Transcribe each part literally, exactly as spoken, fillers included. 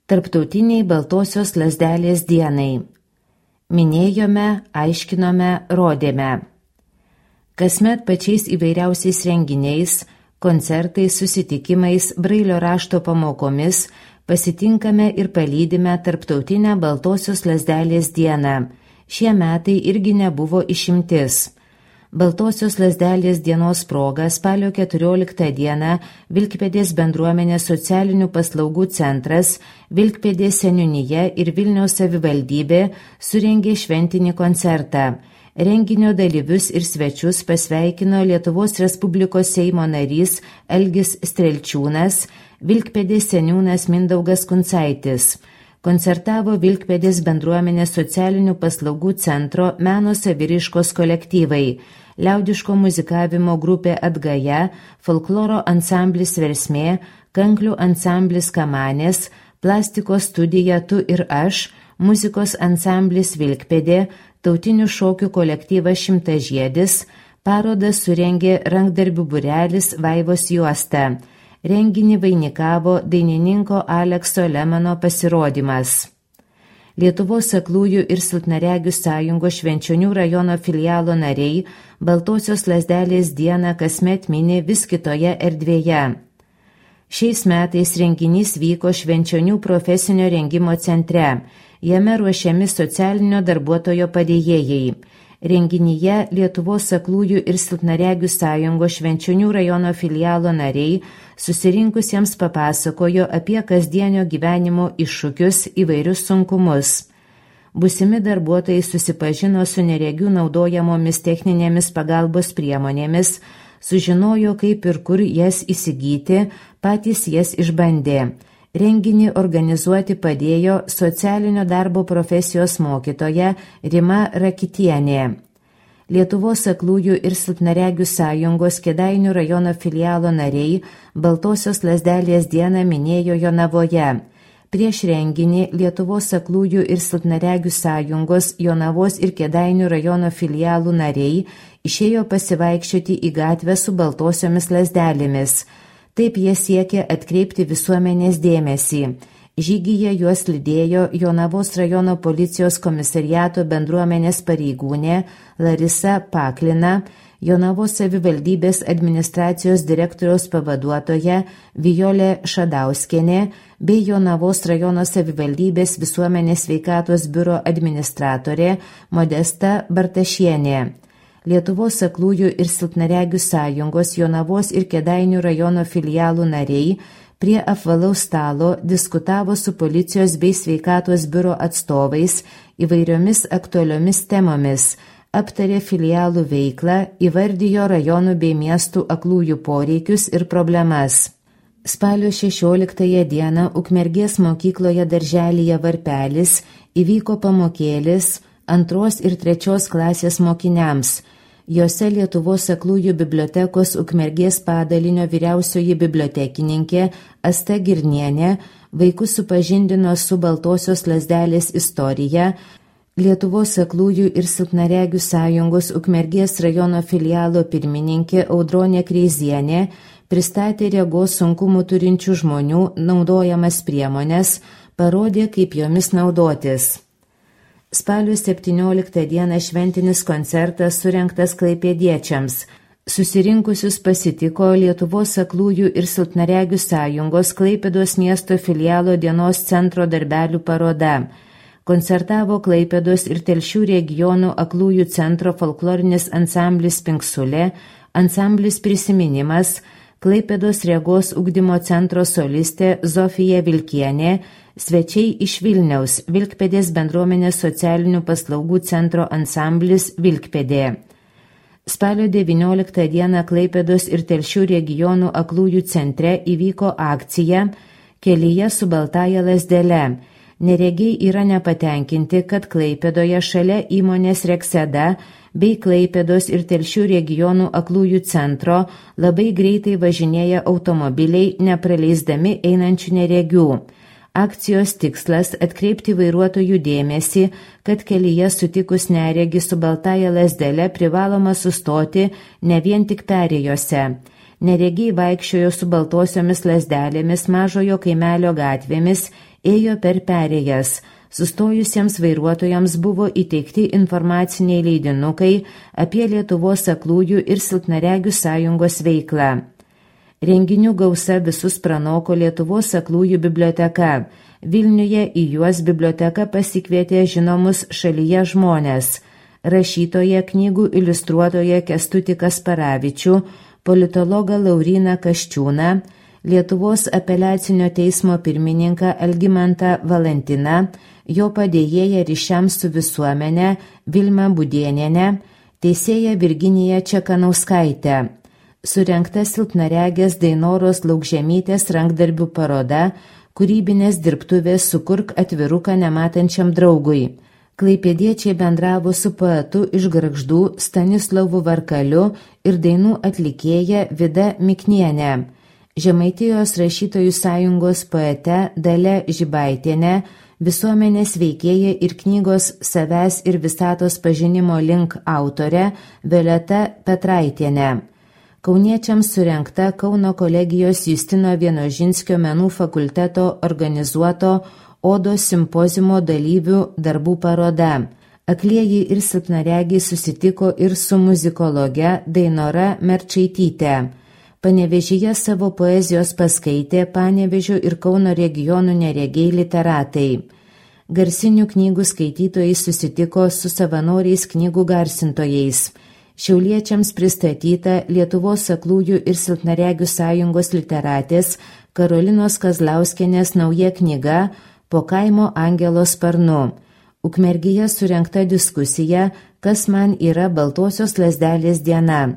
Tarptautiniai baltosios lazdelės dienai. Minėjome, aiškinome, rodėme. Kasmet pačiais įvairiausiais renginiais, koncertais, susitikimais, brailio rašto pamokomis pasitinkame ir palydime Tarptautinę baltosios lazdelės dieną. Šie metai irgi nebuvo išimtis. Baltosios lazdelės dienos proga spalio keturioliktą dieną Vilkpėdės bendruomenės socialinių paslaugų centras, Vilkpėdės seniūnija ir Vilniaus savivaldybė surengė šventinį koncertą. Renginio dalyvius ir svečius pasveikino Lietuvos Respublikos Seimo narys Algis Strelčiūnas, Vilkpėdės seniūnas Mindaugas Kuncaitis. Koncertavo Vilkpėdės bendruomenės socialinių paslaugų centro meno saviraiškos kolektyvai, liaudiško muzikavimo grupė Atgaja, folkloro ansamblis Versmė, kanklių ansamblis Kamanės, plastikos studija Tu ir aš, muzikos ansamblis Vilkpėdė, tautinių šokių kolektyvas Šimtažiedis, parodą surengė rankdarbių būrelis Vaivos juosta. Renginį vainikavo dainininko Alekso Lemano pasirodymas. Lietuvos aklųjų ir silpnaregių sąjungos Švenčionių rajono filialo nariai Baltosios lazdelės dieną kasmet mini vis kitoje erdvėje. Šiais metais renginys vyko Švenčionių profesinio rengimo centre. Jame ruošiami socialinio darbuotojo padėjėjai. Renginyje Lietuvos aklųjų ir silpnaregių sąjungos Švenčionių rajono filialo nariai susirinkusiems papasakojo apie kasdienio gyvenimo iššūkius, įvairius sunkumus. Būsimi darbuotojai susipažino su neregių naudojamomis techninėmis pagalbos priemonėmis, sužinojo, kaip ir kur jas įsigyti, patys jas išbandė. Renginį organizuoti padėjo socialinio darbo profesijos mokytoja Rima Rakitienė. Lietuvos aklųjų ir silpnaregių sąjungos Kėdainių rajono filialo nariai Baltosios lazdelės dieną minėjo Jonavoje. Prieš renginį Lietuvos aklųjų ir silpnaregių sąjungos Jonavos ir Kėdainių rajono filialų nariai išėjo pasivaikščioti į gatvę su baltosiomis lazdelėmis. Taip jie siekė atkreipti visuomenės dėmesį. Žygyje juos lydėjo Jonavos rajono policijos komisariato bendruomenės pareigūnė Larisa Paklina, Jonavos savivaldybės administracijos direktoriaus pavaduotoja Vijolė Šadauskienė bei Jonavos rajono savivaldybės visuomenės sveikatos biuro administratorė Modesta Bartašienė. Lietuvos aklųjų ir silpnaregių sąjungos Jonavos ir Kėdainių rajono filialų nariai prie apvalaus stalo diskutavo su policijos bei sveikatos biuro atstovais įvairiomis aktualiomis temomis, aptarė filialų veiklą, įvardijo rajonų bei miestų aklųjų poreikius ir problemas. Spalio šešioliktąją dieną Ukmergės mokykloje darželyje Varpelis įvyko pamokėlis antros ir trečios klasės mokiniams. Jose Lietuvos aklųjų bibliotekos Ukmergės padalinio vyriausioji bibliotekininkė Asta Girnienė vaikus supažindino su Baltosios lazdelės istorija. Lietuvos aklųjų ir silpnaregių sąjungos Ukmergės rajono filialo pirmininkė Audronė Kreizienė pristatė regos sunkumų turinčių žmonių naudojamas priemones, parodė, kaip jomis naudotis. Spalio septynioliktą dieną šventinis koncertas surengtas klaipėdiečiams. Susirinkusius pasitiko Lietuvos aklųjų ir silpnaregių sąjungos Klaipėdos miesto filialo dienos centro darbelių paroda. Koncertavo Klaipėdos ir Telšių regionų aklųjų centro folklorinis ansamblis Pinksulė, ansamblis Prisiminimas, Klaipėdos regos ugdymo centro solistė Zofija Vilkienė, svečiai iš Vilniaus, Vilkpėdės bendruomenės socialinių paslaugų centro ansamblis Vilkpėdė. Spalio devynioliktą dieną Klaipėdos ir Telšių regionų aklųjų centre įvyko akcija Kelyje su baltąja lazdele. Neregiai yra nepatenkinti, kad Klaipėdoje šalia įmonės Rekseda bei Klaipėdos ir Telšių regionų aklųjų centro labai greitai važinėja automobiliai, nepraleisdami einančių neregių. Akcijos tikslas atkreipti vairuotojų dėmesį, kad kelyje sutikus neregį su baltąja lazdele privaloma sustoti ne vien tik perėjose. Neregiai vaikščiojo su baltosiomis lazdelėmis mažojo kaimelio gatvėmis ėjo per perėjas. Sustojusiems vairuotojams buvo įteikti informaciniai leidinukai apie Lietuvos aklųjų ir silpnaregių sąjungos veiklą. Renginių gausa visus pranoko Lietuvos aklųjų biblioteka. Vilniuje į juos biblioteka pasikvietė žinomus šalyje žmonės: rašytoją, knygų iliustruotoją Kęstutį Kasparavičių, politologą Lauryną Kasčiūną, Lietuvos apeliacinio teismo pirmininką Algimantą Valentiną, jo padėjėją ryšiams su visuomenė Vilmą Budėnienę, teisėją Virginiją Čekanauskaitę. Surengta silpnaregės Dainoros Laukžemytės rankdarbių paroda Kūrybinės dirbtuvės Sukurk atviruką nematančiam draugui. Klaipėdiečiai bendravo su poetu iš Gargždų Stanislovu Varkaliu ir dainų atlikėja Vida Miknienė. Žemaitijos rašytojų sąjungos poete Dalia Žibaitienė, visuomenės veikėja ir knygos Savęs ir visatos pažinimo link autorė Violeta Petraitienė. Kauniečiams surengta Kauno kolegijos Justino Vienožinskio menų fakulteto organizuoto Odos simpoziumo dalyvių darbų paroda. Aklieji ir silpnaregiai susitiko ir su muzikologe Dainora Merčaityte. Panevėžyje savo poezijos paskaitė Panevėžio ir Kauno regionų neregiai literatai. Garsinių knygų skaitytojai susitiko su savanoriais knygų garsintojais. Šiauliečiams pristatyta Lietuvos aklųjų ir silpnaregių sąjungos literatės Karolinos Kazlauskienės nauja knyga Po kaimo angelo sparnu. Ukmergėje surengta diskusija Kas man yra Baltosios lazdelės diena.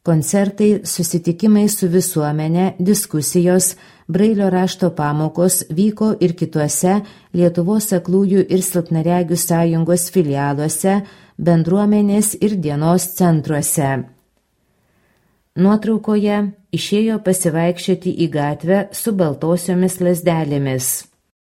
Koncertai, susitikimai su visuomenė, diskusijos, Brailio rašto pamokos vyko ir kituose Lietuvos aklųjų ir silpnaregių sąjungos filialuose, bendruomenės ir dienos centruose. Nuotraukoje išėjo pasivaikščioti į gatvę su baltosiomis lazdelėmis.